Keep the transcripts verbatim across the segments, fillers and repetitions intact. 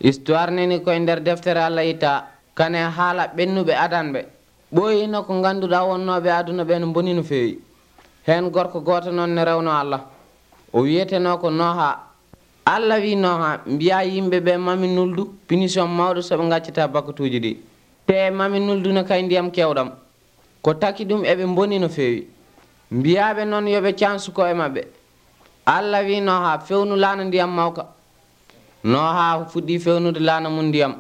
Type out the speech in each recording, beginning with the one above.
histoire neni koye nder deftere Allah itta kane haala ɓennuɓe adanɓe ɓooyino ko ngannduɗaa wonnoɓe aduna ɓe no boni no feewi. heen gorko gooto noon ne rewno Allah o wiyeteno ko Noha. Allah wi Noha mbiya yimɓe ɓe mami nuldu punition mawɗo so ɓe gaccata bakatuji ɗi te mami nulduna kay ndiyam kewɗam ko taki ɗum eɓe boni no feewi. mbiyaɓe noon yoɓe cansuko e maɓɓe. Allah wi Noha fewnu laana ndiyam mawka. Noha fuɗɗi fewnude laana mum ndiyam.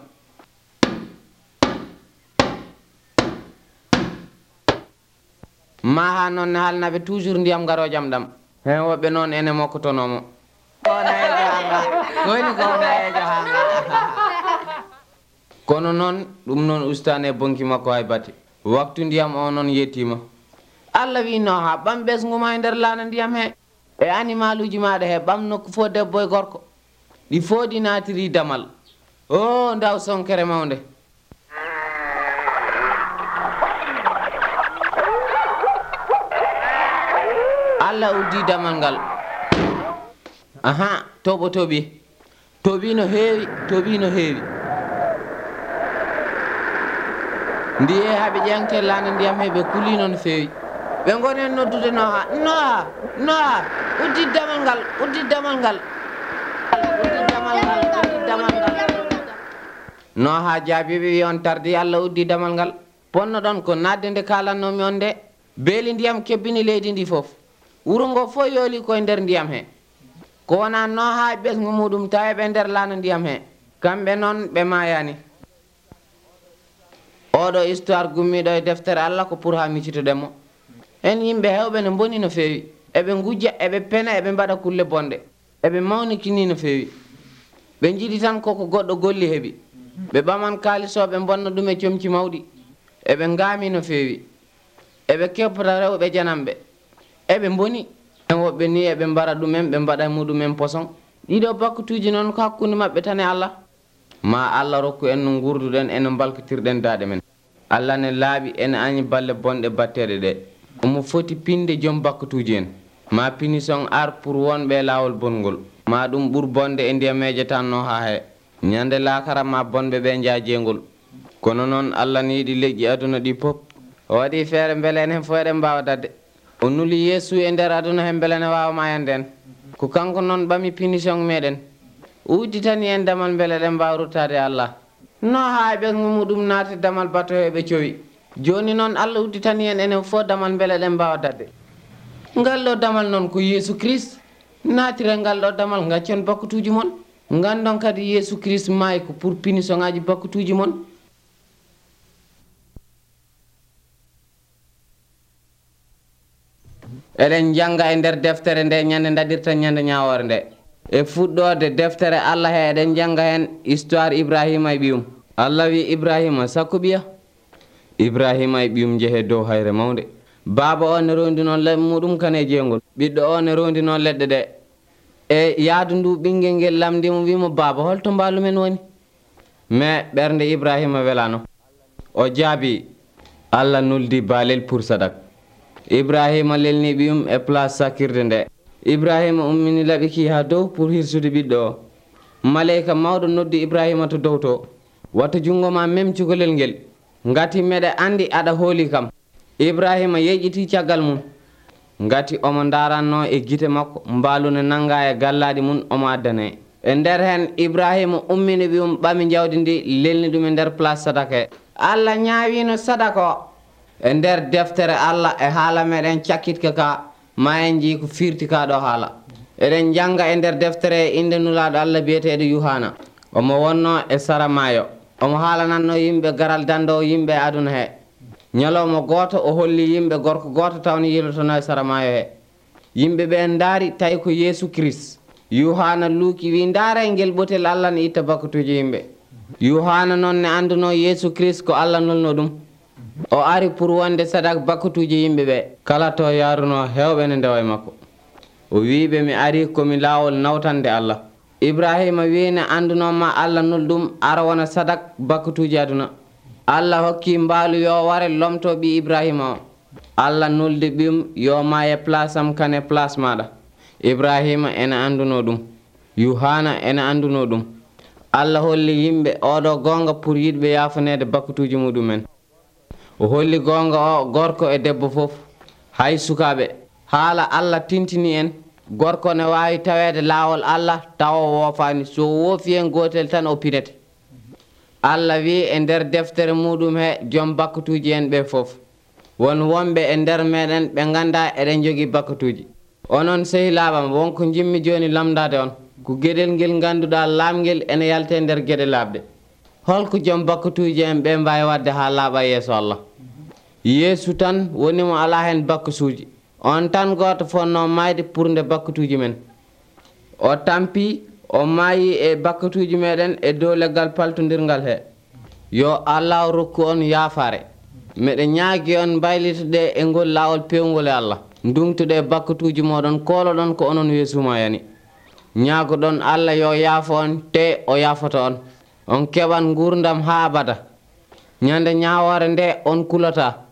maha noon ne halnaɓe toujours ndiyam garo jam ɗam hen woɓɓe noon ene mokkotonomo kono noon ɗum noon ustane bonki makko hay batte waktu ndiyam o noon yettima. Allah wi Noha ɓam ɓesguma e nder laana ndiyam he e animal uji maɗa he ɓam nokku fo debbo e gorko ɗi foodi natiri damal o ndaw sonkere mawde. Allah uddi damal ngal aha toɓo toɓi toɓi no heewi toɓi no heewi ndiye haɓe ƴeŋte laana ndiyam he ɓe kulino no feewi ɓe gonen noddude Noha Noha Noha uddi damal ngal uddi damal ngal uddi damal ngal uddi damal ngal. Noha jaabiɓe wi on tardi Allah uddi damal ngal ponno ɗon ko nadde nde kalannomi on nde beeli ndiyam kebbini leydi ndi fof wuro ngo fof yooli koye nder ndiyam he ko wona Noha e ɓesgu muɗum tawi ɓe nder laana ndiyam he kamɓe noon ɓe mayani. oɗo histoire gummiɗo e deftere Allah ko pour ha miccitoɗenmo en yimɓe hewɓe ne boni no feewi eɓe gujja eɓe pena eɓe mbaɗa kulle bonɗe eɓe mawnikini no feewi ɓe jiiɗi tan koko goɗɗo golli heeɓi ɓe ɓaman kalisoɓe bonna ɗum e comci mawɗi eɓe gaami no feewi eɓe keppata rewɓe janamɓe eɓe boni en woɓɓe ni eɓe mbara ɗumen ɓe mbaɗa muɗumen poson ɗiɗo bakkatuji noon ko hakkude maɓɓe tan e Allah ma Allah rokku en no gurduɗen eno balkotirɗen daaɗe men. Allah ne laaɓi ene añi balle bonɗe batteɗe ɗe omo foti pinde joom bakkatuji en ma punition ar pour wonɓe laawol bongol ma ɗum ɓuur bonde e ndiyameje tan Noha he ñande laakara ma bonɓe ɓe jaajengol. kono noon Allah ne yiɗi leƴƴi aduna ɗi pop o waɗi feere beele en hen fo eɗen mbawa dadde o nuli Yeesu e nder aduna hen beele ne wawa mayande en ko kanko noon ɓami punition meɗen udditani en damal beele ɗen mbawa ruttade Allah. Noha e ɓesgu muɗum naati damal bato heɓe cowi joni noon Allah udditani en enen fof damal beele ɗen mbawa dadde. ngal ɗo damal noon ko Yeesu Christ naatire ngal ɗo damal gaccon bakkatuji mon gandon kadi Yeesu Christ maayi ko pour punition ngaji bakkatuji mon. eɗen janga e nder deftere nde ñande daɗirta ñande ñawore nde e fuɗɗode deftere Allah he eɗen janga hen histoire Ibrahima e ɓiyum. Allah wi Ibrahima sakko ɓiya Ibrahima e ɓiyum jeehe dow hayre mawde baaba o ne rondi noon leɗɗe muɗum kane jeygol ɓiɗɗo o ne rondi noon leɗɗe ɗe e yaadu ndu ɓinguel ngel lamdimo wimo baaba holto mbalumen woni mais ɓernde Ibrahima welano o jaabi Allah nuldi baalel pour sadak. Ibrahima lelni ɓiyum e place sakkirde nde Ibrahima ummini laɓiki ha dow pour hirsude ɓiɗɗo o maleyka mawɗo noddi Ibrahima to dow to watta jungo ma même cukalel ngel ngati meɗe andi aɗa hooli kam. Ibrahima yeƴƴiti caggal mum ngati omo daranno e guite makko mbaalune nanga e gallaɗi mum omo addane e nder hen Ibrahima ummini ɓiyum ɓami jawdi ndi lelni ɗum e nder place sadaka. Allah ñaawino sadaka o e nder deftere Allah e haala meɗen cakkitka ka ma en jii ko firti ka ɗo haala eɗen janga e nder deftere inde nulaɗo Allah biyeteɗo Yuhana omo wonno e sara maayo omo haalananno yimɓe garal dando yimɓe aduna he ñalawma goto o holli yimɓe gorko goto tawno yilotono e sara maayo he yimɓe ɓe daari tawi ko Yeesu Christ. Yuhana luuki wi daara ngel ɓotel Allah ne itta bakkatuji yimɓe. Yuhana noon ne anduno Yeesu Christ ko Allah nolno ɗum o ari pour wonde sadak bakkatuji yimɓe ɓe kala to yaruno hewɓe ne ndewa e makko o wiɓe mi ari komi laawol nawtande Allah. Ibrahima wi ne andunoma Allah nol ɗum ara wona sadak bakkatuji aduna. Allah hokki mbaalu yo ware lomto ɓi Ibrahima o Allah noldi ɓiyum yo ma e place am kane place maɗa. Ibrahima ene anduno ɗum Yuhana ene anduno ɗum Allah holli yimɓe oɗo gonga pour yiɗɓe yafanede bakkutuji muɗumen. O holli gonga o gorko e debbo fof, hay sukaɓe. Haala Allah tintini en gorko ne wawi tawede lawol Allah tawa o woofani, so woofi hen gotel tan o pinete. Allah wi e nder deftere muɗum he joom bakkutuji en ɓe fof. Won wonɓe e nder meɗen ɓe ganda eɗen jogui bakkutuji. Onon sehilaɓam, wonko jimmi joni lamdade on ko gueɗel ngel ganduɗa lamguel ene yalte nder gueɗe labɗe. Holko joom bakkutuji en ɓe mbawi wadde ha laaɓa yeeso Allah? Yeesu tan woni mo ala hen bakkutuji. On tan goto fonno mayde pour nde bakkutuji men. O tampi o maayi e bakkutuji meɗen e dow leggal paltodirgal he. Yo Allah rokku on yaafare. Meɗe ñaagui on baylitoɗe e ngol lawol pewngol e Allah. Ndumtuɗe bakkutuji moɗon koloɗon ko onon weesuma yani. Ñaagoɗon Allah yo yaafo on te o yaafoto on. On keɓan gurdam ha abada. Ñande ñawore nde on kulata.